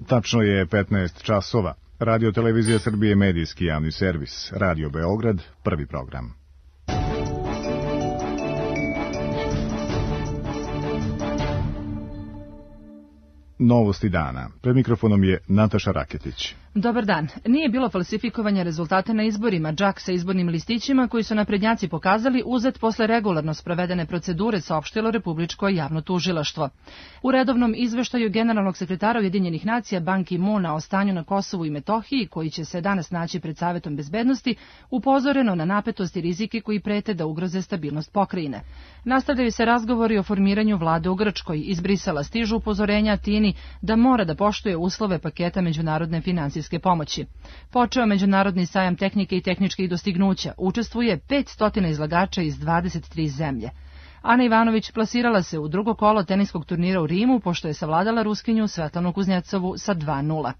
Tačno je 15 časova. Radio Televizija Srbije, medijski javni servis. Radio Beograd, prvi program. Novosti dana. Pred mikrofonom je Nataša Raketić. Dobar dan. Nije bilo falsifikovanja rezultata na izborima. Džak sa izbornim listićima koji su naprednjaci pokazali uzet posle regularno sprovedene procedure, saopštilo Republičko javno tužilaštvo. U redovnom izveštaju generalnog sekretara Ujedinjenih nacija Ban Ki-moona o stanju na Kosovu i Metohiji, koji će se danas naći pred Savetom bezbednosti, upozoreno na napetost i rizike koji prete da ugroze stabilnost pokrajine. Nastavljaju se razgovori o formiranju vlade u Grčkoj. Iz Brisela stižu upozorenja Atini da mora da poštuje uslove paketa međunarodne finansijske pomoći. Počeo Međunarodni sajam tehnike i tehničkih dostignuća. Učestvuje 500 izlagača iz 23 zemlje. Ana Ivanović plasirala se u drugo kolo teniskog turnira u Rimu, pošto je savladala Ruskinju Svetlanu Kuznjecovu sa 2:0.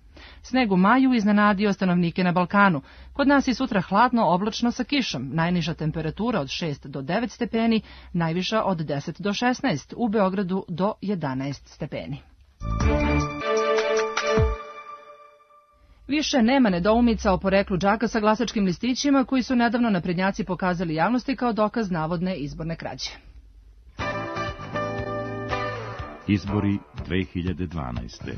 Sneg u maju iznenadio stanovnike na Balkanu. Kod nas je sutra hladno, oblačno sa kišom. Najniža temperatura od 6 do 9 stepeni, najviša od 10 do 16, u Beogradu do 11 stepeni. Više nema nedoumica o poreklu džaka sa glasačkim listićima koji su nedavno naprednjaci pokazali javnosti kao dokaz navodne izborne krađe. Izbori 2012.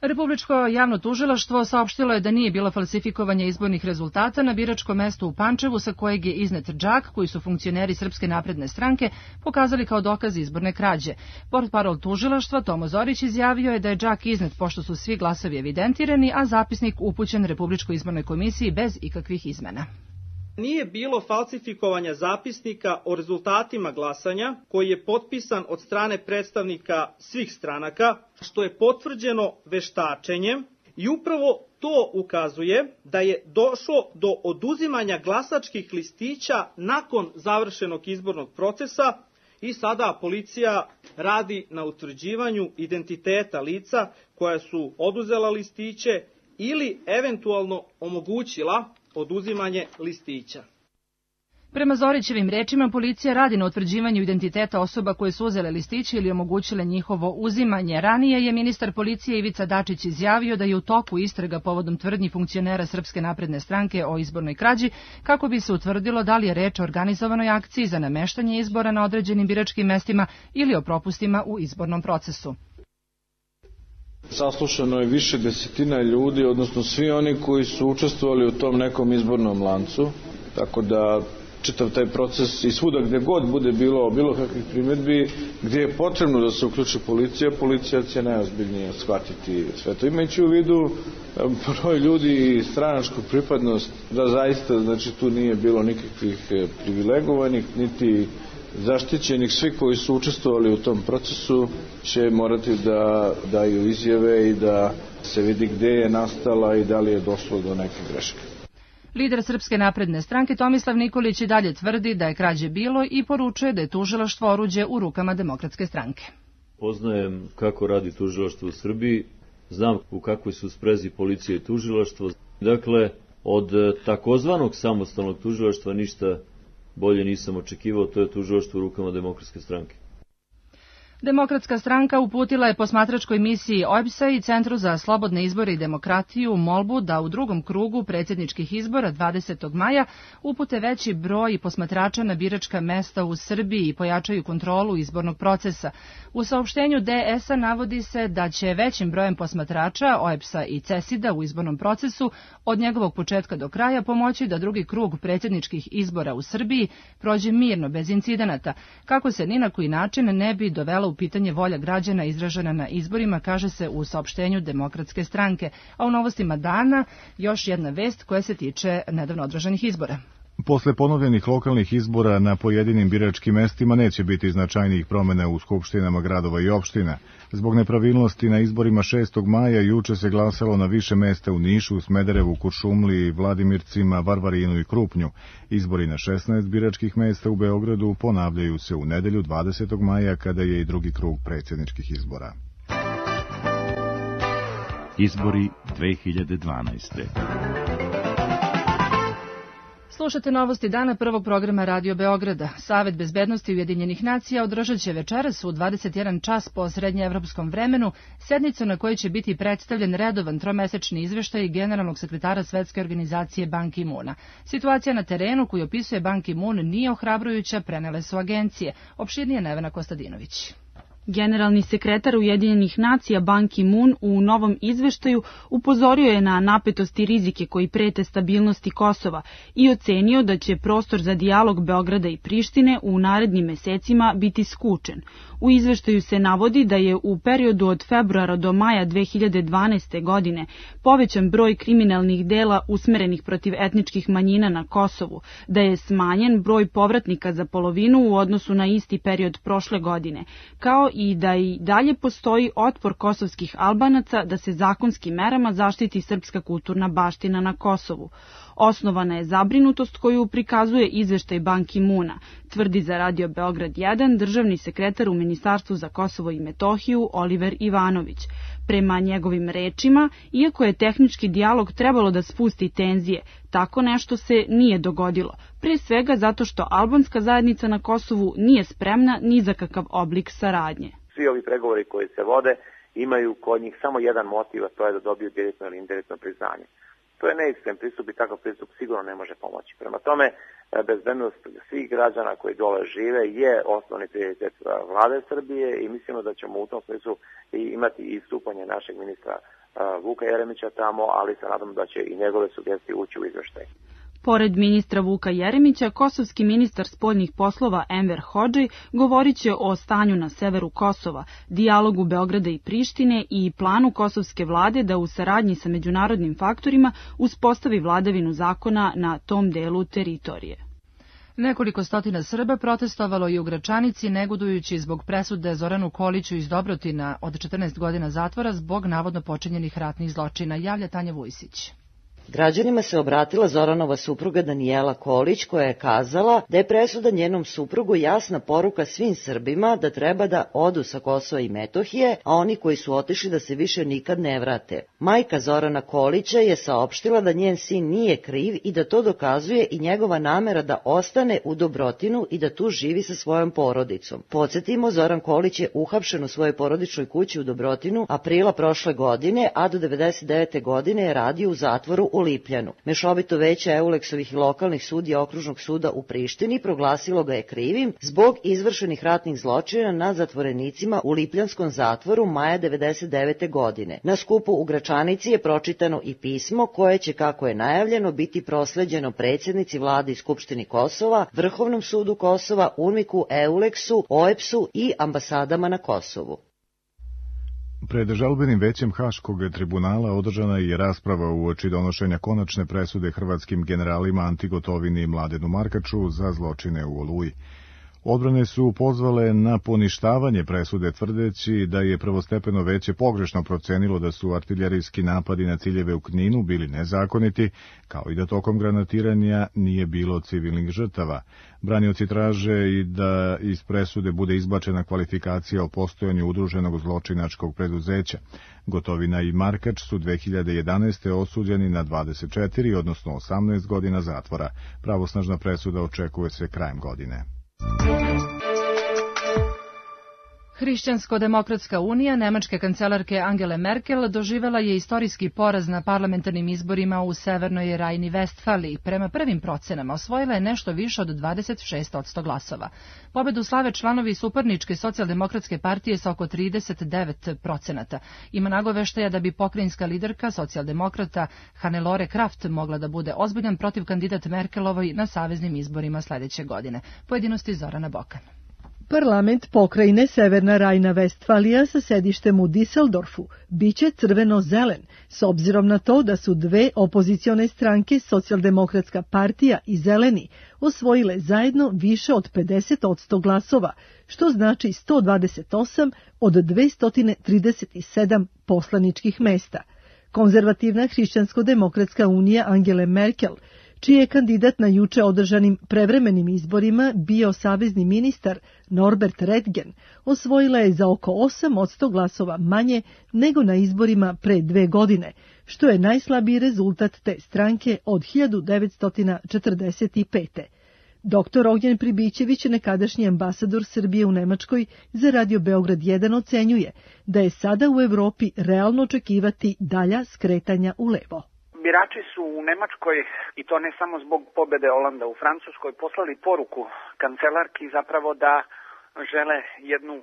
Republičko javno tužilaštvo saopštilo je da nije bilo falsifikovanja izbornih rezultata na biračkom mestu u Pančevu sa kojeg je iznet džak koji su funkcioneri Srpske napredne stranke pokazali kao dokaz izborne krađe. Portparol tužilaštva Tomo Zorić izjavio je da je džak iznet pošto su svi glasovi evidentirani, a zapisnik upućen Republičkoj izbornoj komisiji bez ikakvih izmena. Nije bilo falsifikovanja zapisnika o rezultatima glasanja koji je potpisan od strane predstavnika svih stranaka, što je potvrđeno veštačenjem i upravo to ukazuje da je došlo do oduzimanja glasačkih listića nakon završenog izbornog procesa i sada policija radi na utvrđivanju identiteta lica koja su oduzela listiće ili eventualno omogućila oduzimanje listića. Prema Zorićevim rečima, policija radi na utvrđivanju identiteta osoba koje su uzele listiće ili omogućile njihovo uzimanje. Ranije je ministar policije Ivica Dačić izjavio da je u toku istraga povodom tvrdnji funkcionera Srpske napredne stranke o izbornoj krađi, kako bi se utvrdilo da li je reč o organizovanoj akciji za nameštanje izbora na određenim biračkim mestima ili o propustima u izbornom procesu. Saslušano je više desetina ljudi, odnosno svi oni koji su učestvovali u tom nekom izbornom lancu, tako da čitav taj proces i svuda gde god bude bilo kakvih primjedbi, gdje je potrebno da se uključi policija će najozbiljnije shvatiti sve to. Imajući u vidu broj ljudi i stranačku pripadnost, da zaista znači, tu nije bilo nikakvih privilegovanih, niti zaštićenih. Svi koji su učestvovali u tom procesu će morati da daju izjave i da se vidi gde je nastala i da li je došlo do neke greške. Lider Srpske napredne stranke Tomislav Nikolić i dalje tvrdi da je krađe bilo i poručuje da je tužilaštvo oruđe u rukama Demokratske stranke. Poznajem kako radi tužilaštvo u Srbiji, znam u kakvoj su sprezi policija i tužilaštvo. Dakle, od takozvanog samostalnog tužilaštva ništa bolje nisam očekivao, to je tužilaštvo u rukama Demokratske stranke. Demokratska stranka uputila je posmatračkoj misiji OEBS-a i Centru za slobodne izbore i demokratiju molbu da u drugom krugu predsjedničkih izbora 20. maja upute veći broj posmatrača na biračka mesta u Srbiji i pojačaju kontrolu izbornog procesa. U saopštenju DS-a navodi se da će većim brojem posmatrača OEBS-a i CESID-a u izbornom procesu od njegovog početka do kraja pomoći da drugi krug predsjedničkih izbora u Srbiji prođe mirno, bez incidenata, kako se ni na koji način ne bi dovela u pitanje volja građana izražena na izborima, kaže se u saopštenju Demokratske stranke. A u novostima dana još jedna vest koja se tiče nedavno održanih izbora. Posle ponovljenih lokalnih izbora na pojedinim biračkim mestima neće biti značajnijih promjena u skupštinama gradova i opština. Zbog nepravilnosti na izborima 6. maja juče se glasalo na više mesta u Nišu, Smederevu, Kuršumliji, Vladimircima, Varvarinu i Krupnju. Izbori na 16 biračkih mesta u Beogradu ponavljaju se u nedelju 20. maja kada je i drugi krug predsjedničkih izbora. Izbori 2012. Slušate novosti dana prvog programa Radio Beograda. Savet bezbednosti Ujedinjenih nacija održat će večeras u 21 čas po srednjeevropskom vremenu sednicu na kojoj će biti predstavljen redovan tromesečni izveštaj generalnog sekretara Svetske organizacije Ban Ki-moona. Situacija na terenu koju opisuje Ban Ki-moon nije ohrabrujuća, prenele su agencije. Opširnije Nevena Kostadinović. Generalni sekretar Ujedinjenih nacija Ban Ki-moon u novom izveštaju upozorio je na napetosti i rizike koji prete stabilnosti Kosova i ocenio da će prostor za dijalog Beograda i Prištine u narednim mesecima biti skučen. U izveštaju se navodi da je u periodu od februara do maja 2012. godine povećan broj kriminalnih dela usmerenih protiv etničkih manjina na Kosovu, da je smanjen broj povratnika za polovinu u odnosu na isti period prošle godine, kao i da i dalje postoji otpor kosovskih Albanaca da se zakonskim merama zaštiti srpska kulturna baština na Kosovu. Osnovana je zabrinutost koju prikazuje izveštaj Ban Ki-moona, tvrdi za Radio Beograd 1 državni sekretar u Ministarstvu za Kosovo i Metohiju Oliver Ivanović. Prema njegovim rečima, iako je tehnički dijalog trebalo da spusti tenzije, tako nešto se nije dogodilo, prije svega zato što albanska zajednica na Kosovu nije spremna ni za kakav oblik saradnje. Svi ovi pregovori koji se vode imaju kod njih samo jedan motiv, a to je da dobiju direktno ili indirektno priznanje. To je neiskren pristup i takav pristup sigurno ne može pomoći. Prema tome, bezbednost svih građana koji dole žive je osnovni prioritet vlade Srbije i mislimo da ćemo u tom smislu imati i stupanje našeg ministra Vuka Jeremića tamo, ali se nadam da će i njegove sugestije ući u izveštaj. Pored ministra Vuka Jeremića, kosovski ministar spoljnih poslova Enver Hodži govorit će o stanju na severu Kosova, dijalogu Beograda i Prištine i planu kosovske vlade da u saradnji sa međunarodnim faktorima uspostavi vladavinu zakona na tom delu teritorije. Nekoliko stotina Srba protestovalo i u Gračanici, negodujući zbog presude Zoranu Koliću iz Dobrotina od 14 godina zatvora zbog navodno počinjenih ratnih zločina, javlja Tanja Vujsić. Građanima se obratila Zoranova supruga Danijela Kolić, koja je kazala da je presuda njenom suprugu jasna poruka svim Srbima da treba da odu sa Kosova i Metohije, a oni koji su otišli da se više nikad ne vrate. Majka Zorana Kolića je saopštila da njen sin nije kriv i da to dokazuje i njegova namera da ostane u Dobrotinu i da tu živi sa svojom porodicom. Podsjetimo, Zoran Kolić je uhapšen u svojoj porodičnoj kući u Dobrotinu aprila prošle godine, a do 99. godine je radio u zatvoru u Lipljanu. Mešovito veće Euleksovih i lokalnih sudija Okružnog suda u Prištini proglasilo ga je krivim zbog izvršenih ratnih zločina nad zatvorenicima u Lipljanskom zatvoru maja 99. godine. Na skupu u Gračanici je pročitano i pismo koje će, kako je najavljeno, biti prosleđeno predsjednici vlade i Skupštini Kosova, Vrhovnom sudu Kosova, UNMIK-u, Euleksu, OEBS-u i ambasadama na Kosovu. Pred žalbenim većem Haškog tribunala održana je rasprava uoči donošenja konačne presude hrvatskim generalima Anti Gotovini i Mladenu Markaču za zločine u Oluji. Odbrane su pozvale na poništavanje presude, tvrdeći da je prvostepeno veće pogrešno procenilo da su artiljerijski napadi na ciljeve u Kninu bili nezakoniti, kao i da tokom granatiranja nije bilo civilnih žrtava. Branioci traže i da iz presude bude izbačena kvalifikacija o postojanju udruženog zločinačkog preduzeća. Gotovina i Markač su 2011. osuđeni na 24, odnosno 18 godina zatvora. Pravosnažna presuda očekuje se krajem godine. Hrišćansko-demokratska unija nemačke kancelarke Angele Merkel doživela je istorijski poraz na parlamentarnim izborima u Severnoj Rajni-Vestfaliji. Prema prvim procenama osvojila je nešto više od 26% glasova. Pobedu slave članovi suparničke socijaldemokratske partije sa oko 39%. Ima nagoveštaja da bi pokrajinska liderka socijaldemokrata Hannelore Kraft mogla da bude ozbiljan protiv kandidat Merkelovoj na saveznim izborima sledeće godine. Pojedinosti Zorana Bokan. Parlament pokrajine Severna Rajna-Vestfalija sa sedištem u Düsseldorfu biće crveno-zelen, s obzirom na to da su dve opozicione stranke, Socijaldemokratska partija i Zeleni, osvojile zajedno više od 50% glasova, što znači 128 od 237 poslaničkih mesta. Konzervativna hrišćansko-demokratska unija Angele Merkel, čiji je kandidat na juče održanim prevremenim izborima bio savezni ministar Norbert Redgen, osvojila je za oko 8% glasova manje nego na izborima pre 2 godine, što je najslabiji rezultat te stranke od 1945. Dr. Ognjen Pribićević, nekadašnji ambasador Srbije u Nemačkoj, za Radio Beograd 1 ocenjuje da je sada u Evropi realno očekivati dalja skretanja u levo. Birači su u Nemačkoj, i to ne samo zbog pobede Olanda u Francuskoj, poslali poruku kancelarki zapravo da žele jednu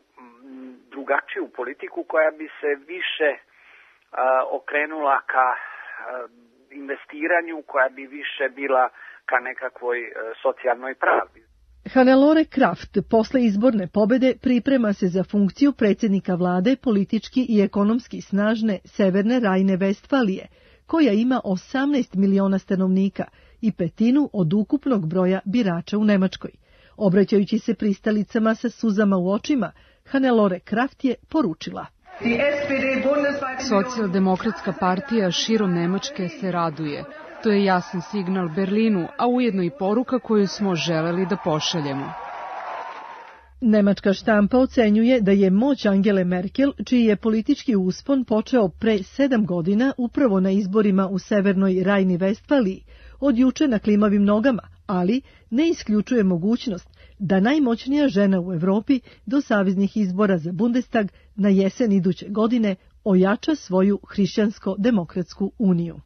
drugačiju politiku koja bi se više okrenula ka investiranju, koja bi više bila ka nekakvoj socijalnoj pravdi. Hannelore Kraft posle izborne pobede priprema se za funkciju predsjednika vlade politički i ekonomski snažne Severne Rajne-Vestfalije, koja ima 18 miliona stanovnika i petinu od ukupnog broja birača u Nemačkoj. Obraćajući se pristalicama sa suzama u očima, Hannelore Kraft je poručila: Socijaldemokratska partija širom Nemačke se raduje. To je jasan signal Berlinu, a ujedno i poruka koju smo želeli da pošaljemo. Nemačka štampa ocenjuje da je moć Angele Merkel, čiji je politički uspon počeo pre 7 godina upravo na izborima u Severnoj Rajni-Vestfaliji, od juče na klimavim nogama, ali ne isključuje mogućnost da najmoćnija žena u Evropi do saveznih izbora za Bundestag na jesen iduće godine ojača svoju hrišćansko-demokratsku uniju.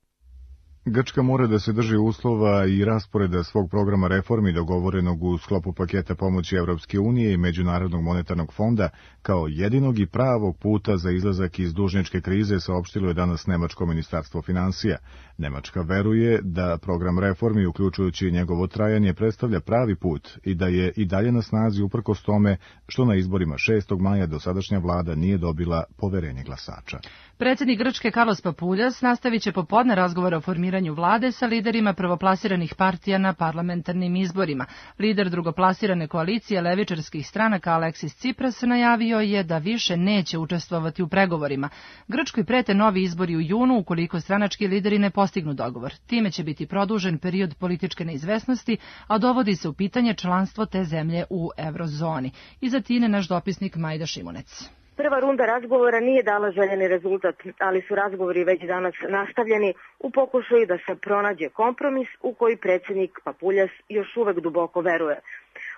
Grčka mora da se drži uslova i rasporeda svog programa reformi dogovorenog u sklopu paketa pomoći Evropske unije i Međunarodnog monetarnog fonda kao jedinog i pravog puta za izlazak iz dužničke krize, saopštilo je danas Nemačko ministarstvo finansija. Nemačka veruje da program reformi, uključujući njegovo trajanje, predstavlja pravi put i da je i dalje na snazi uprkos tome što na izborima 6. maja dosadašnja vlada nije dobila poverenje glasača. Predsjednik Grčke Carlos Papoulias nastavit će popodne razgovore o formiranju vlade sa liderima prvoplasiranih partija na parlamentarnim izborima. Lider drugoplasirane koalicije levičarskih stranaka Aleksis Tsipras najavio je da više neće učestvovati u pregovorima. Grčkoj prete novi izbori u junu ukoliko stranački lideri ne postignu dogovor. Time će biti produžen period političke neizvesnosti, a dovodi se u pitanje članstvo te zemlje u eurozoni. Iz Atine naš dopisnik Majda Šimunec. Prva runda razgovora nije dala željeni rezultat, ali su razgovori već danas nastavljeni u pokušaju da se pronađe kompromis u koji predsjednik Papoulias još uvek duboko veruje.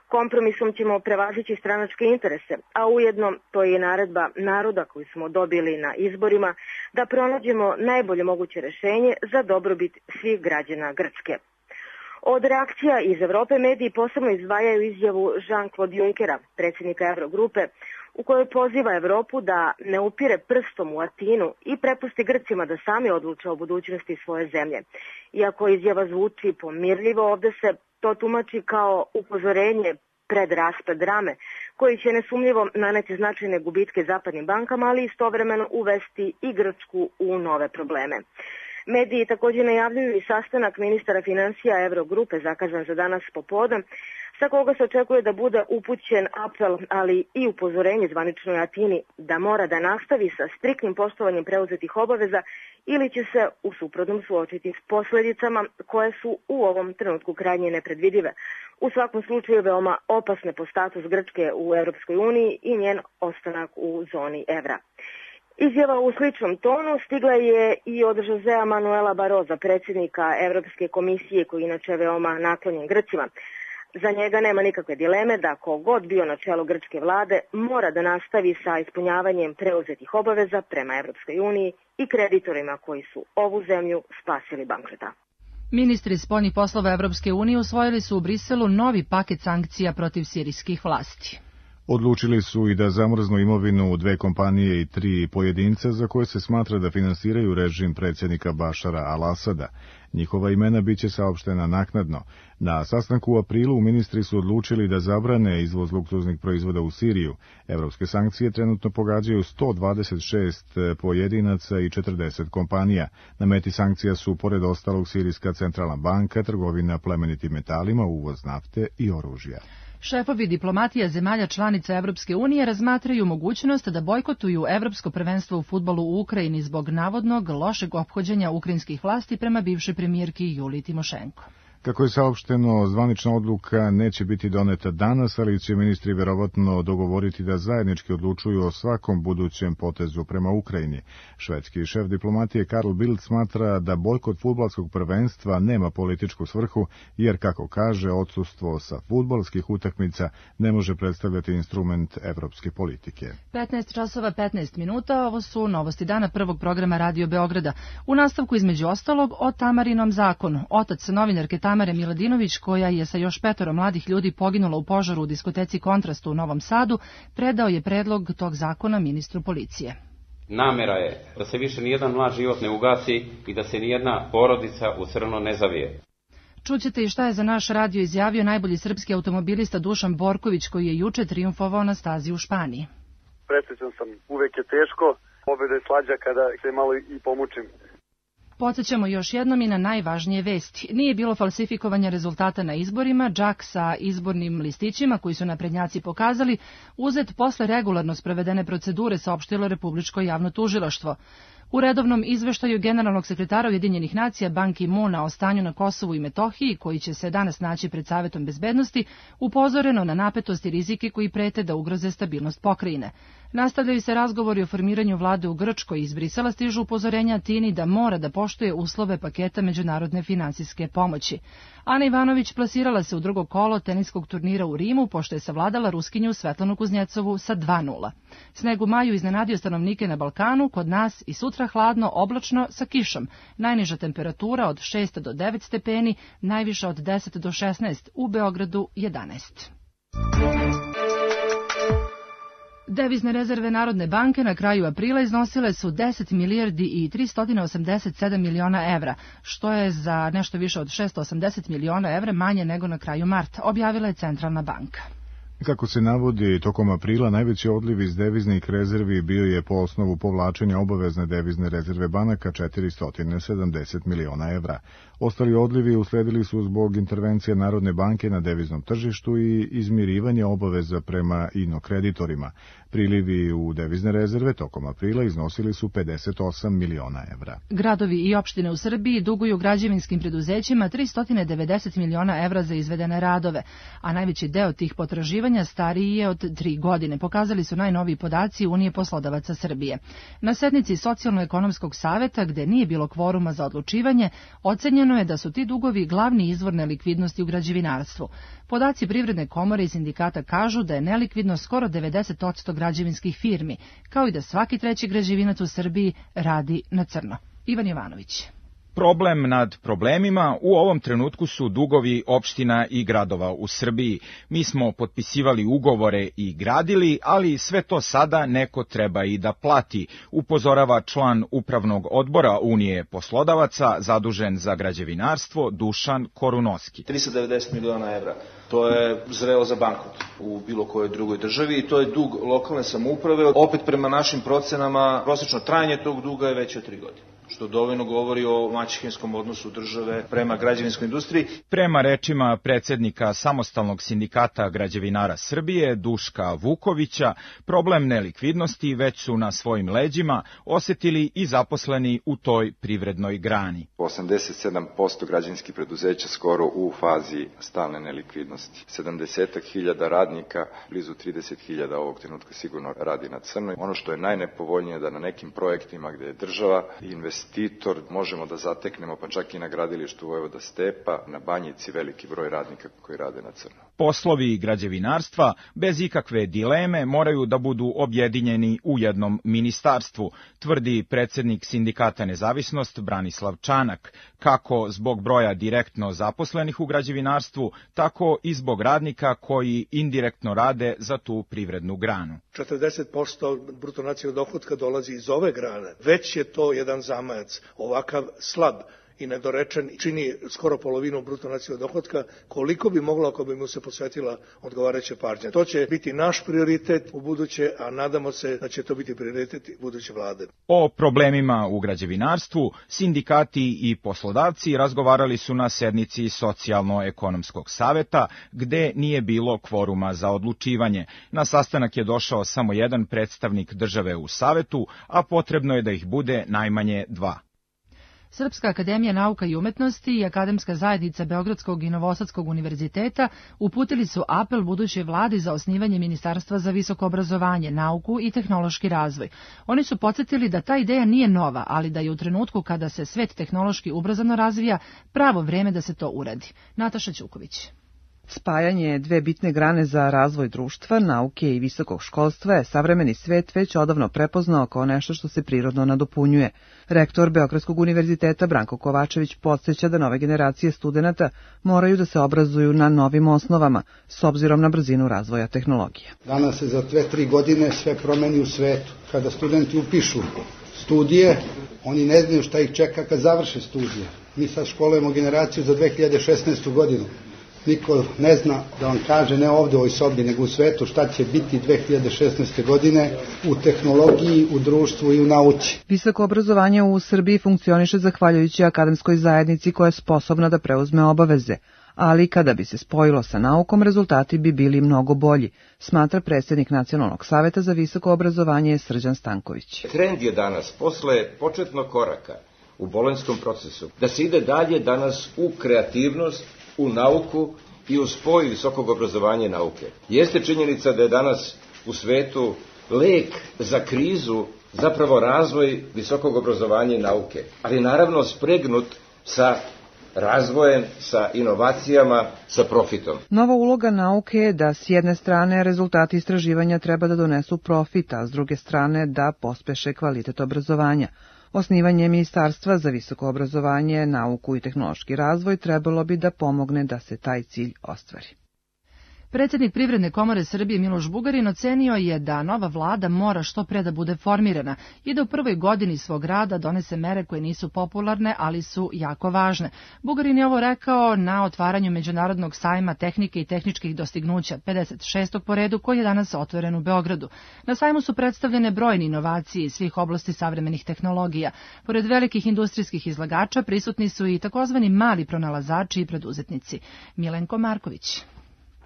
Kompromisom ćemo prevazići stranačke interese, a ujedno to je naredba naroda koju smo dobili na izborima da pronađemo najbolje moguće rešenje za dobrobit svih građana Grčke. Od reakcija iz Evrope mediji posebno izdvajaju izjavu Jean-Claude Junckera, predsjednika Eurogrupe, u kojoj poziva Evropu da ne upire prstom u Atinu i prepusti Grcima da sami odluče o budućnosti svoje zemlje. Iako izjava zvuči pomirljivo, ovde se to tumači kao upozorenje pred raspad rame, koji će nesumljivo naneti značajne gubitke zapadnim bankama, ali istovremeno uvesti i Grčku u nove probleme. Mediji također najavljuju i sastanak ministara finansija Eurogrupe zakazan za danas popodne, sa koga se očekuje da bude upućen apel, ali i upozorenje zvaničnoj Atini da mora da nastavi sa striktnim poštovanjem preuzetih obaveza ili će se u suprotnom suočiti s posljedicama koje su u ovom trenutku krajnje nepredvidive. U svakom slučaju veoma opasne po status Grčke u Europskoj uniji i njen ostanak u zoni evra. Izjava u sličnom tonu stigla je i od Josea Manuela Barroza, predsjednika Evropske komisije, koji inače veoma naklonjen Grcima. Za njega nema nikakve dileme da kogod bio na čelu grčke vlade mora da nastavi sa ispunjavanjem preuzetih obaveza prema Evropskoj uniji i kreditorima koji su ovu zemlju spasili bankrota. Ministri spoljnih poslova Evropske unije usvojili su u Briselu novi paket sankcija protiv sirijskih vlasti. Odlučili su i da zamrznu imovinu 2 kompanije i 3 pojedinca za koje se smatra da finansiraju režim predsjednika Bašara al-Asada. Njihova imena biće saopštena naknadno. Na sastanku u aprilu ministri su odlučili da zabrane izvoz luksuznih proizvoda u Siriju. Evropske sankcije trenutno pogađaju 126 pojedinaca i 40 kompanija. Na meti sankcija su, pored ostalog, Sirijska centralna banka, trgovina plemenitim metalima, uvoz nafte i oružja. Šefovi diplomatija zemalja članica Evropske unije razmatraju mogućnost da bojkotuju Evropsko prvenstvo u fudbalu u Ukrajini zbog navodnog lošeg ophođenja ukrajinskih vlasti prema bivšoj premijerki Juliji Timošenko. Kako je saopšteno, zvanična odluka neće biti doneta danas, ali će ministri verovatno dogovoriti da zajednički odlučuju o svakom budućem potezu prema Ukrajini. Švedski šef diplomatije Carl Bildt smatra da bojkot fudbalskog prvenstva nema političku svrhu, jer, kako kaže, odsustvo sa fudbalskih utakmica ne može predstavljati instrument evropske politike. 15 časova 15 minuta, ovo su novosti dana prvog programa Radio Beograda. U nastavku između ostalog o Tamarinom zakonu. Otac novinarke Tamare Miladinović, koja je sa još 5 mladih ljudi poginula u požaru u diskoteci Kontrast u Novom Sadu, predao je predlog tog zakona ministru policije. Namera je da se više nijedan mlad život ne ugasi i da se nijedna porodica u crno ne zavije. Čućete i šta je za naš radio izjavio najbolji srpski automobilista Dušan Borković, koji je juče trijumfovao na stazi u Španiji. Presrećan sam, uvek je teško, pobjeda je slađa kada se malo i pomučim. Podsjećamo još jednom i na najvažnije vesti. Nije bilo falsifikovanja rezultata na izborima, džak sa izbornim listićima koji su naprednjaci pokazali, uzet posle regularno sprovedene procedure, saopštilo Republičko javno tužilaštvo. U redovnom izveštaju generalnog sekretara Ujedinjenih nacija Ban Ki-moona o stanju na Kosovu i Metohiji, koji će se danas naći pred Savetom bezbednosti, upozoreno na napetost i rizike koji prete da ugroze stabilnost pokrajine. Nastavljaju se razgovori o formiranju vlade u Grčkoj. Iz Brisela stižu upozorenja Atini da mora da poštuje uslove paketa međunarodne finansijske pomoći. Ana Ivanović plasirala se u drugo kolo teniskog turnira u Rimu, pošto je savladala Ruskinju Svetlanu Kuznjecovu sa 2:0. Sneg u maju iznenadio stanovnike na Balkanu, kod nas i sutra hladno, oblačno sa kišom. Najniža temperatura od 6 do 9 stepeni, najviša od 10 do 16, u Beogradu 11. Devizne rezerve Narodne banke na kraju aprila iznosile su 10 milijardi i 387 miliona evra, što je za nešto više od 680 miliona evra manje nego na kraju marta, objavila je Centralna banka. Kako se navodi, tokom aprila najveći odliv iz deviznih rezervi bio je po osnovu povlačenja obavezne devizne rezerve banaka 470 miliona evra. Ostali odlivi usledili su zbog intervencije Narodne banke na deviznom tržištu i izmirivanje obaveza prema inokreditorima. Prilivi u devizne rezerve tokom aprila iznosili su 58 miliona evra. Gradovi i opštine u Srbiji duguju građevinskim preduzećima 390 miliona evra za izvedene radove, a najveći deo tih potraživanja stariji je od 3 godine, pokazali su najnoviji podaci Unije poslodavaca Srbije. Na sednici Socijalno-ekonomskog saveta, gde nije bilo kvoruma za odlučivanje, ocenjeno je da su ti dugovi glavni izvor nelikvidnosti u građevinarstvu. Podaci Privredne komore i sindikata kažu da je nelikvidno skoro 90% građevinskih firmi, kao i da svaki treći građevinac u Srbiji radi na crno. Ivan Jovanović. Problem nad problemima u ovom trenutku su dugovi opština i gradova u Srbiji. Mi smo potpisivali ugovore i gradili, ali sve to sada neko treba i da plati, upozorava član upravnog odbora Unije poslodavaca zadužen za građevinarstvo Dušan Korunoski. 390 miliona evra. To je zrelo za bankrot u bilo kojoj drugoj državi i to je dug lokalne samouprave. Opet prema našim procenama prosečno trajanje tog duga je veće od 3 godine, što dovoljno govori o maćehinskom odnosu države prema građevinskoj industriji. Prema rečima predsednika Samostalnog sindikata građevinara Srbije, Duška Vukovića, problem nelikvidnosti već su na svojim leđima osetili i zaposleni u toj privrednoj grani. 87% građevinskih preduzeća skoro u fazi stalne nelikvidnosti. 70.000 radnika, blizu 30.000 ovog trenutka sigurno radi na crno. Ono što je najnepovoljnije da na nekim projektima gde je država investitor možemo da zateknemo, pa čak i na gradilištu Vojvoda Stepa, na Banjici veliki broj radnika koji rade na crno. Poslovi građevinarstva bez ikakve dileme moraju da budu objedinjeni u jednom ministarstvu, tvrdi predsednik sindikata Nezavisnost Branislav Čanak, kako zbog broja direktno zaposlenih u građevinarstvu, tako i zbog radnika koji indirektno rade za tu privrednu granu. 40% bruto nacionalnog dohotka dolazi iz ove grane. Već je to jedan zamajac. Ovakav slab i nedorečen čini skoro polovinu bruto nacionalnog dohotka, koliko bi moglo ako bi mu se posvetila odgovarajuća pažnja. To će biti naš prioritet u buduće, a nadamo se da će to biti prioritet buduće vlade. O problemima u građevinarstvu sindikati i poslodavci razgovarali su na sednici Socijalno-ekonomskog saveta, gde nije bilo kvoruma za odlučivanje. Na sastanak je došao samo jedan predstavnik države u savetu, a potrebno je da ih bude najmanje 2. Srpska akademija nauka i umetnosti i Akademska zajednica Beogradskog i Novosadskog univerziteta uputili su apel budućoj vladi za osnivanje Ministarstva za visoko obrazovanje, nauku i tehnološki razvoj. Oni su podsjetili da ta ideja nije nova, ali da je u trenutku kada se svet tehnološki ubrzano razvija, pravo vreme da se to uradi. Nataša Ćuković. Spajanje dve bitne grane za razvoj društva, nauke i visokog školstva je savremeni svet već odavno prepoznao kao nešto što se prirodno nadopunjuje. Rektor Beogradskog univerziteta Branko Kovačević podsjeća da nove generacije studenata moraju da se obrazuju na novim osnovama, s obzirom na brzinu razvoja tehnologije. Danas se za 2-3 godine sve promeni u svetu. Kada studenti upišu studije, oni ne znaju šta ih čeka kad završe studije. Mi sad školujemo generaciju za 2016. godinu. Niko ne zna da vam kaže, ne ovde u ovoj sobi, nego u svetu, šta će biti 2016. godine u tehnologiji, u društvu i u nauci. Visoko obrazovanje u Srbiji funkcioniše zahvaljujući akademskoj zajednici koja je sposobna da preuzme obaveze, ali kada bi se spojilo sa naukom, rezultati bi bili mnogo bolji, smatra predsjednik Nacionalnog saveta za visoko obrazovanje Srđan Stanković. Trend je danas, posle početnog koraka u bolonjskom procesu, da se ide dalje danas u kreativnost, u nauku i u spoj visokog obrazovanja i nauke. Jeste činjenica da je danas u svetu lek za krizu zapravo razvoj visokog obrazovanja i nauke, ali naravno spregnut sa razvojem, sa inovacijama, sa profitom. Nova uloga nauke je da s jedne strane rezultati istraživanja treba da donesu profit, a s druge strane da pospeše kvalitet obrazovanja. Osnivanje Ministarstva za visoko obrazovanje, nauku i tehnološki razvoj trebalo bi da pomogne da se taj cilj ostvari. Predsjednik Privredne komore Srbije Miloš Bugarin ocenio je da nova vlada mora što pre da bude formirana i da u prvoj godini svog rada donese mere koje nisu popularne, ali su jako važne. Bugarin je ovo rekao na otvaranju Međunarodnog sajma tehnike i tehničkih dostignuća, 56. po redu, koji je danas otvoren u Beogradu. Na sajmu su predstavljene brojne inovacije iz svih oblasti savremenih tehnologija. Pored velikih industrijskih izlagača prisutni su i takozvani mali pronalazači i preduzetnici. Milenko Marković.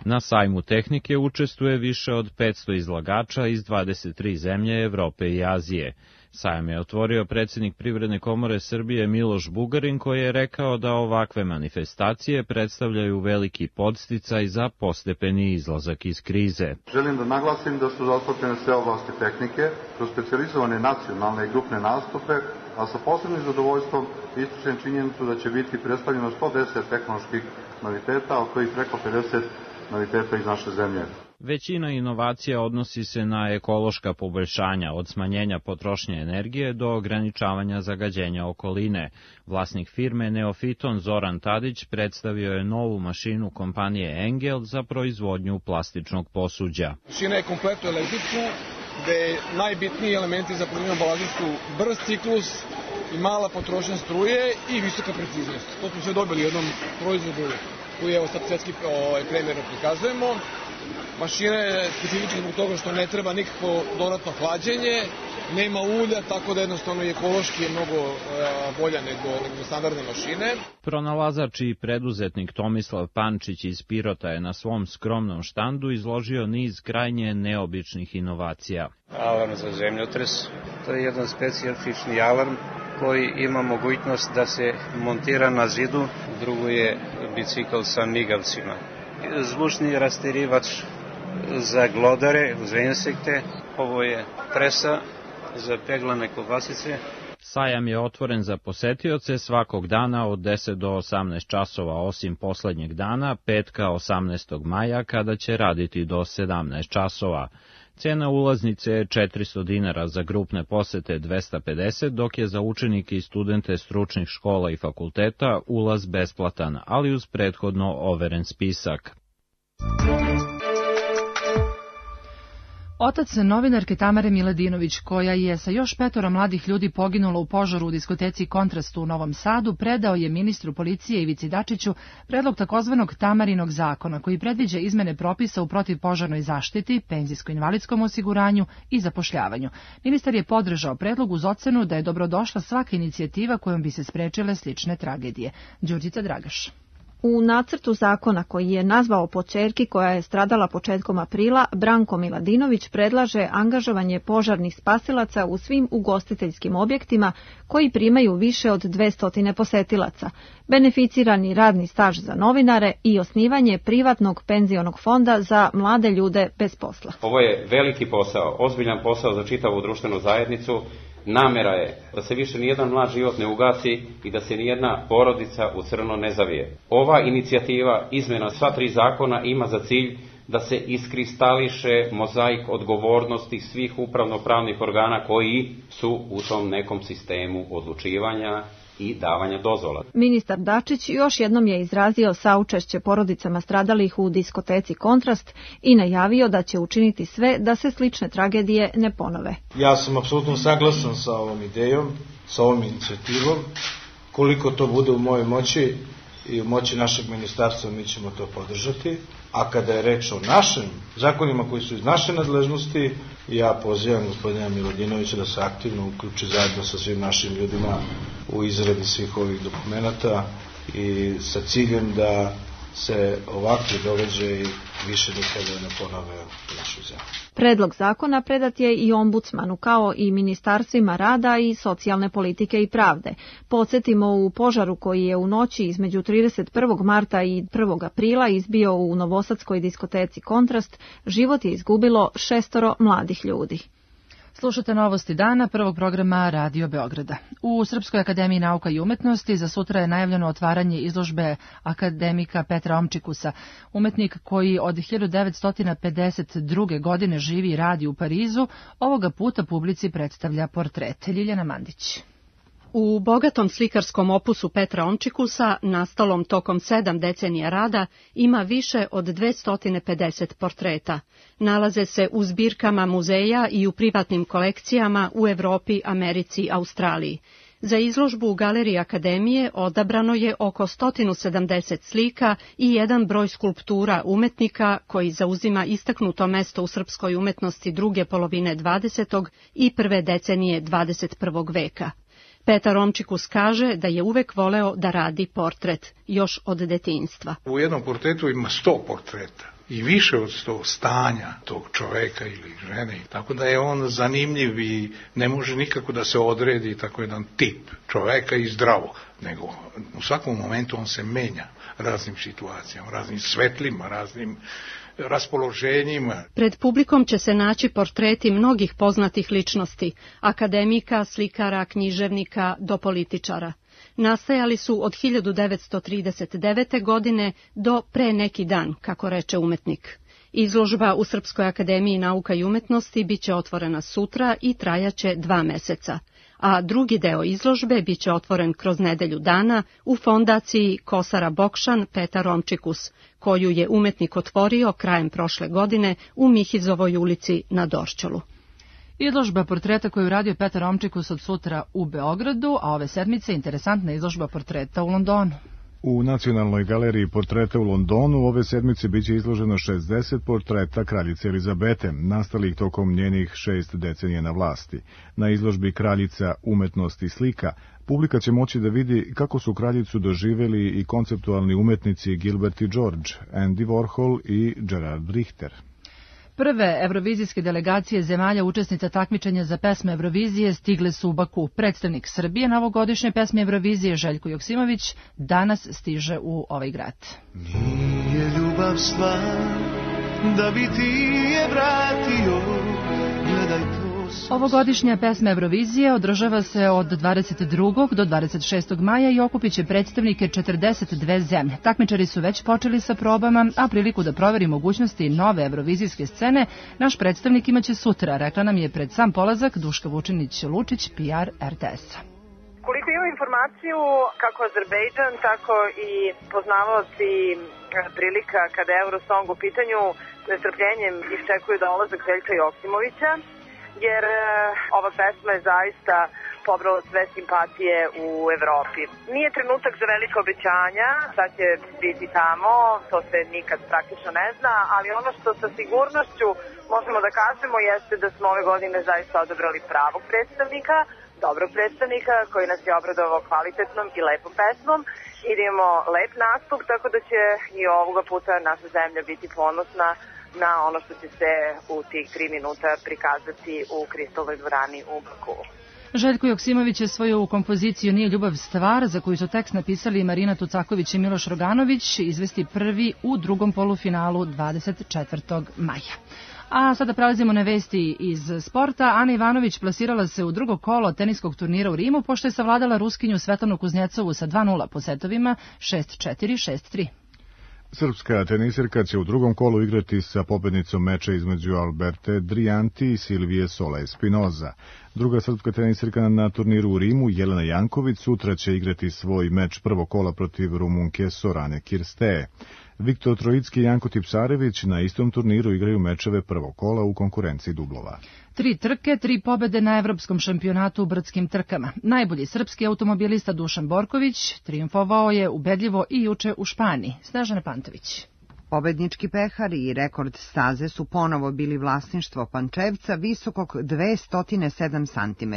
Na sajmu tehnike učestvuje više od 500 izlagača iz 23 zemlje Evrope i Azije. Sajam je otvorio predsjednik Privredne komore Srbije Miloš Bugarin, koji je rekao da ovakve manifestacije predstavljaju veliki podsticaj za postepeni izlazak iz krize. Želim da naglasim da su zastupljene sve oblasti tehnike, kroz specijalizovane nacionalne i grupne nastupe, a sa posebnim zadovoljstvom ističem činjenicu da će biti predstavljeno 110 tehnoloških noviteta, od kojih preko 50 noviteta iz naše zemlje. Većina inovacija odnosi se na ekološka poboljšanja, od smanjenja potrošnje energije do ograničavanja zagađenja okoline. Vlasnik firme Neofiton Zoran Tadić predstavio je novu mašinu kompanije Engel za proizvodnju plastičnog posuđa. Mašina je kompletno električna, gde najbitniji elementi za proizvodnju ambalaže su brz ciklus i mala potrošnja struje i visoka preciznost. To smo sve dobili u jednom proizvodu koji evo sad svetski primerno prikazujemo. Mašina je specifična zbog toga što ne treba nikako dodatno hlađenje, nema ulja, tako da jednostavno i ekološki je mnogo bolja nego standardne mašine. Pronalazač i preduzetnik Tomislav Pančić iz Pirota je na svom skromnom štandu izložio niz krajnje neobičnih inovacija. Alarm za zemljotres, to je jedan specifični alarm koji ima mogućnost da se montira na zidu, drugo je bicikl sa migavcima. Zvučni rasterivač za glodare, za insekte, ovo je presa za peglane kobasice. Sajam je otvoren za posetioce svakog dana od 10 do 18 časova, osim poslednjeg dana, petka 18. maja, kada će raditi do 17 časova. Cena ulaznice je 400 dinara, za grupne posete 250, dok je za učenike i studente stručnih škola i fakulteta ulaz besplatan, ali uz prethodno overen spisak. Otac novinarke Tamare Miladinović, koja je sa još 5 mladih ljudi poginula u požaru u diskoteci Kontrast u Novom Sadu, predao je ministru policije Ivici Dačiću predlog takozvanog Tamarinog zakona, koji predviđa izmene propisa u protivpožarnoj zaštiti, penzijsko-invalidskom osiguranju i zapošljavanju. Ministar je podržao predlog uz ocenu da je dobrodošla svaka inicijativa kojom bi se sprečile slične tragedije. Đurđica Dragaš. U nacrtu zakona koji je nazvao po ćerki koja je stradala početkom aprila, Branko Miladinović predlaže angažovanje požarnih spasilaca u svim ugostiteljskim objektima koji primaju više od 200 posetilaca, beneficirani radni staž za novinare i osnivanje privatnog penzionog fonda za mlade ljude bez posla. Ovo je veliki posao, ozbiljan posao za čitavu društvenu zajednicu. Namera je da se više nijedan mlad život ne ugasi i da se nijedna porodica u crno ne zavije. Ova inicijativa izmjena sva 3 zakona ima za cilj da se iskristališe mozaik odgovornosti svih upravno-pravnih organa koji su u tom nekom sistemu odlučivanja i davanja dozvola. Ministar Dačić još jednom je izrazio saučešće porodicama stradalih u diskoteci Kontrast i najavio da će učiniti sve da se slične tragedije ne ponove. Ja sam apsolutno saglasan sa ovom idejom, sa ovom inicijativom. Koliko to bude u mojoj moći i u moći našeg ministarstva, mi ćemo to podržati. A kada je reč o našim zakonima koji su iz naše nadležnosti, ja pozivam gospodina Miladinovića da se aktivno uključi zajedno sa svim našim ljudima u izradi svih ovih dokumenata i sa ciljem da se ovakvi događaji više nikada ne ponove u našoj zemlji. Predlog zakona predat je i ombudsmanu kao i ministarstvima rada i socijalne politike i pravde. Podsjetimo, u požaru koji je u noći između 31. marta i 1. aprila izbio u novosadskoj diskoteci Kontrast, život je izgubilo 6 mladih ljudi. Slušate novosti dana prvog programa Radio Beograda. U Srpskoj akademiji nauka i umetnosti za sutra je najavljeno otvaranje izložbe akademika Petra Omčikusa, umetnik koji od 1952. godine živi i radi u Parizu, ovoga puta publici predstavlja portret. Ljiljana Mandić. U bogatom slikarskom opusu Petra Omčikusa, nastalom tokom 7 decenija rada, ima više od 250 portreta. Nalaze se u zbirkama muzeja i u privatnim kolekcijama u Evropi, Americi i Australiji. Za izložbu u Galeriji Akademije odabrano je oko 170 slika i jedan broj skulptura umetnika koji zauzima istaknuto mesto u srpskoj umetnosti druge polovine 20. i prve decenije 21. veka. Petar Omčikus kaže da je uvek voleo da radi portret, još od detinjstva. U jednom portretu ima 100 portreta i više od 100 stanja tog čoveka ili žene, tako da je on zanimljiv i ne može nikako da se odredi tako jedan tip čoveka i zdravo, nego u svakom momentu on se menja raznim situacijama, raznim svetlima, raznim raspoloženjima. Pred publikom će se naći portreti mnogih poznatih ličnosti, akademika, slikara, književnika do političara. Nastajali su od 1939. godine do pre neki dan, kako reče umetnik. Izložba u Srpskoj akademiji nauka i umetnosti biće otvorena sutra i trajaće 2 meseca, a drugi deo izložbe biće otvoren kroz nedelju dana u fondaciji Kosara Bokšan Petar Omčikus, koju je umetnik otvorio krajem prošle godine u Mihizovoj ulici na Dorćolu. Izložba portreta koju radio Petar Omčikus od sutra u Beogradu, a ove sedmice interesantna izložba portreta u Londonu. U Nacionalnoj galeriji portreta u Londonu ove sedmice biće izloženo 60 portreta kraljice Elizabete, nastalih tokom njenih 6 decenija na vlasti. Na izložbi Kraljica umetnosti slika publika će moći da vidi kako su kraljicu doživeli i konceptualni umetnici Gilbert i George, Andy Warhol i Gerard Richter. Prve evrovizijske delegacije zemalja učesnica takmičenja za pesme Evrovizije stigle su u Baku. Predstavnik Srbije na ovogodišnje pesme Evrovizije Željko Joksimović danas stiže u ovaj grad. Nije ljubav stvar da bi ti je vratio, gledaj to. Ovogodišnja pesma Evrovizije održava se od 22. do 26. maja i okupit će predstavnike 42 zemlje. Takmičari su već počeli sa probama, a priliku da proveri mogućnosti nove evrovizijske scene naš predstavnik imaće sutra, rekla nam je pred sam polazak Duška Vučinić-Lučić, PR RTS-a. Koliko imam informaciju, kako Azerbejdžan, tako i poznavaoci prilika kada je Eurosong u pitanju, nestrpljenjem iščekuju dolazak Željka Joksimovića, jer ova pesma je zaista pobrala sve simpatije u Evropi. Nije trenutak za velike obećanja, sad će biti tamo, to se nikad praktično ne zna, ali ono što sa sigurnošću možemo da kažemo jeste da smo ove godine zaista odabrali pravog predstavnika, dobrog predstavnika koji nas je obradovao kvalitetnom i lepom pesmom i da imamo lep nastup, tako da će i ovoga puta naša zemlja biti ponosna na ono što će se u tih 3 minuta prikazati u Kristalnoj dvorani u Baku. Željko Joksimović je svoju kompoziciju Nije ljubav stvar, za koju su tekst napisali Marina Tucaković i Miloš Roganović, izvesti prvi u drugom polufinalu 24. maja. A sada prelazimo na vesti iz sporta. Ana Ivanović plasirala se u drugo kolo teniskog turnira u Rimu, pošto je savladala Ruskinju Svetlanu Kuznjecovu sa 2-0 po setovima 6-4, 6-3. Srpska tenisirka će u drugom kolu igrati sa pobednicom meča između Alberte Drianti i Silvije Sola Espinoza. Druga srpska tenisirka na turniru u Rimu, Jelena Janković, sutra će igrati svoj meč prvog kola protiv Rumunke Sorane Kirsteje. Viktor Trojicki i Janko Tipsarević na istom turniru igraju mečeve prvog kola u konkurenciji dublova. 3 trke, 3 pobede na evropskom šampionatu u brdskim trkama. Najbolji srpski automobilista Dušan Borković triumfovao je ubedljivo i juče u Španiji. Snežana Pantović. Pobednički pehar i rekord staze su ponovo bili vlasništvo Pančevca visokog 207 cm.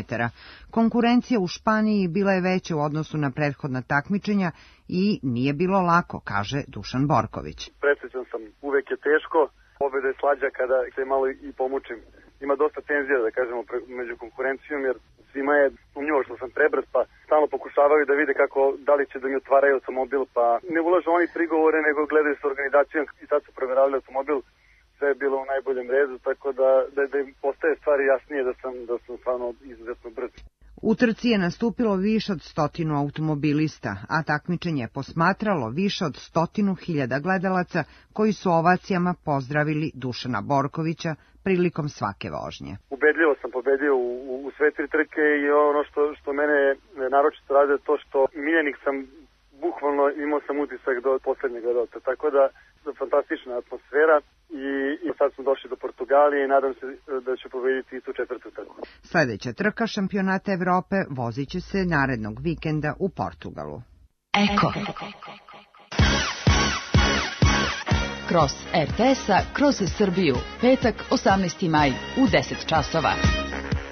Konkurencija u Španiji bila je veća u odnosu na prethodna takmičenja i nije bilo lako, kaže Dušan Borković. Presrećan sam, uvek je teško, pobeda je slađa kada se malo i pomučim. Ima dosta tenzija, da kažemo, među konkurencijom, jer svima je sumnjivo što sam prebrz, pa stalno pokušavaju da vide kako, da li će da mi otvaraju automobil, pa ne ulažu oni prigovore, nego gledaju s organizacijom i sad su proveravali automobil, sve je bilo u najboljem redu, tako da im postaje stvari jasnije da sam stvarno izuzetno brz. U trci je nastupilo više od 100 automobilista, a takmičenje je posmatralo više od 100.000 gledalaca koji su ovacijama pozdravili Dušana Borkovića prilikom svake vožnje. Ubedljivo sam pobedio u sve 3 trke i ono što mene naročito rade to što miljenik sam, bukvalno imao sam utisak do poslednjeg gledalca, tako da fantastična atmosfera i sad smo došli do Portugalije i nadam se da ću pobediti i tu 4. trku. Sljedeća trka šampionata Evrope vozit će se narednog vikenda u Portugalu. Eko. Cross RTS-a kroz Srbiju, petak 18. maj u 10 časova.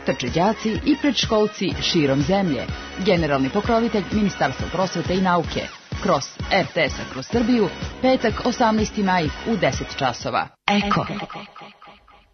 Trče đaci i predškolci širom zemlje. Generalni pokrovitelj Ministarstva prosvete i nauke. Cross RTS-a kroz Srbiju, petak 18. maj u 10 časova. Eko.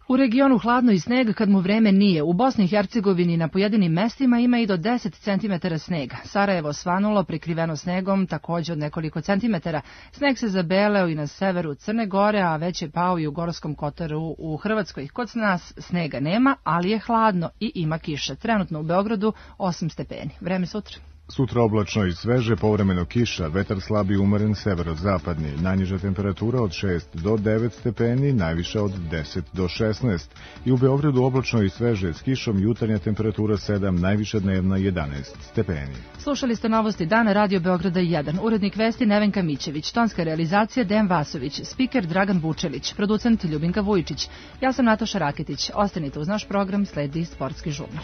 U regionu hladno i sneg kad mu vreme nije. U Bosni i Hercegovini na pojedinim mestima ima i do 10 cm snega. Sarajevo svanulo, prekriveno snegom, također od nekoliko centimetara. Sneg se zabeleo i na severu Crne Gore, a već je pao i u Gorskom Kotaru u Hrvatskoj. Kod nas snega nema, ali je hladno i ima kiše. Trenutno u Beogradu 8 stepeni. Vreme sutra. Sutra oblačno i sveže, povremeno kiša, vetar slab i umeren severozapadni, najniža temperatura od 6 do 9 stepeni, najviša od 10 do 16. I u Beogradu oblačno i sveže, s kišom jutarnja temperatura 7, najviša dnevna 11 stepeni. Slušali ste novosti dana Radio Beograda 1. Urednik vesti Nevenka Mićević, tonska realizacija Dejan Vasović, spiker Dragan Vučelić, producent Ljubinka Vujičić. Ja sam Nataša Raketić. Ostanite uz naš program, sledi Sportski žurnal.